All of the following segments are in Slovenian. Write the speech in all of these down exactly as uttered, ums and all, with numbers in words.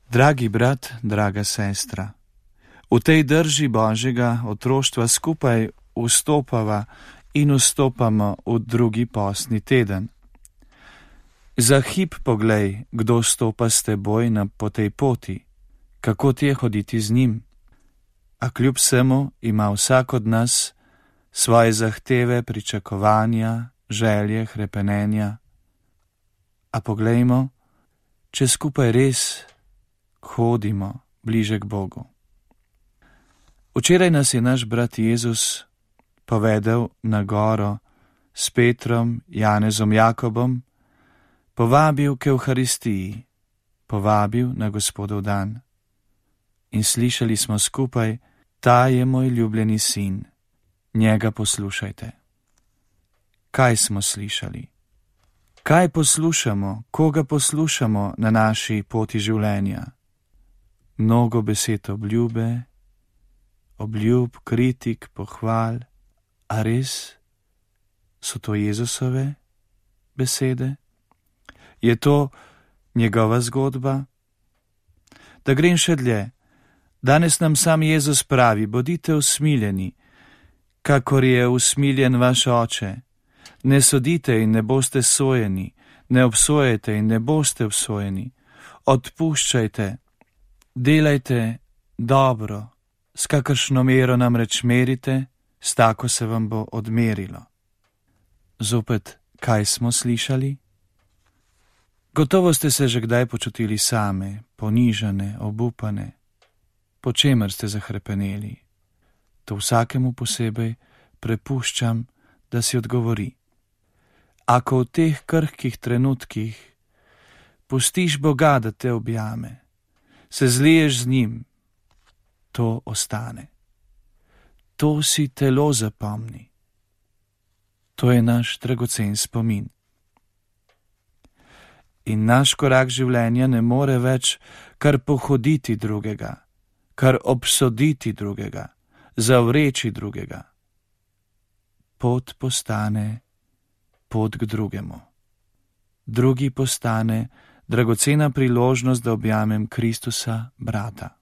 Dragi brat, draga sestra, v tej drži Božjega otroštva skupaj vstopava in vstopamo v drugi postni teden. Za hip poglej, kdo stopa s teboj na po tej poti, kako ti je hoditi z njim. A kljub vsemu ima vsak od nas svoje zahteve, pričakovanja, želje, hrepenenja. A poglejmo, če skupaj res hodimo bliže k Bogu. Včeraj nas je naš brat Jezus povedal na goro s Petrom, Janezom, Jakobom, povabil k Evharistiji, povabil na Gospodov dan. In slišali smo skupaj: ta je moj ljubljeni sin, njega poslušajte. Kaj smo slišali? Kaj poslušamo, koga poslušamo na naši poti življenja? Mnogo besed obljube, obljub, kritik, pohval, a res so to Jezusove besede? Je to njegova zgodba? Da grem še dlje. Danes nam sam Jezus pravi: bodite usmiljeni, kakor je usmiljen vaš Oče. Ne sodite in ne boste sojeni, ne obsojajte in ne boste obsojeni. Odpuščajte, delajte dobro, s kakršno mero namreč merite, s tako se vam bo odmerilo. Zopet, kaj smo slišali? Gotovo ste se že kdaj počutili same, ponižane, obupane. Po čemer ste zahrepeneli? To vsakemu posebej prepuščam, da si odgovori. Ako v teh krhkih trenutkih pustiš Boga, da te objame, se zliješ z njim, to ostane. To si telo zapomni. To je naš dragocen spomin. In naš korak življenja ne more več kar pohoditi drugega, kar obsoditi drugega, zavreči drugega. Pot postane pot k drugemu. Drugi postane dragocena priložnost, da objamem Kristusa, brata.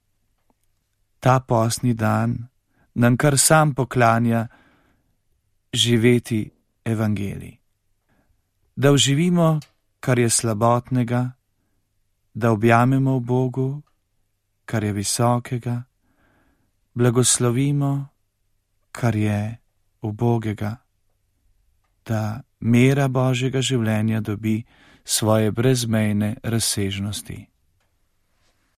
Ta postni dan nam kar sam poklanja živeti evangelij. Da oživimo, kar je slabotnega, da objamemo v Bogu, kar je visokega, blagoslovimo, kar je ubogega, da mera Božjega življenja dobi svoje brezmejne razsežnosti.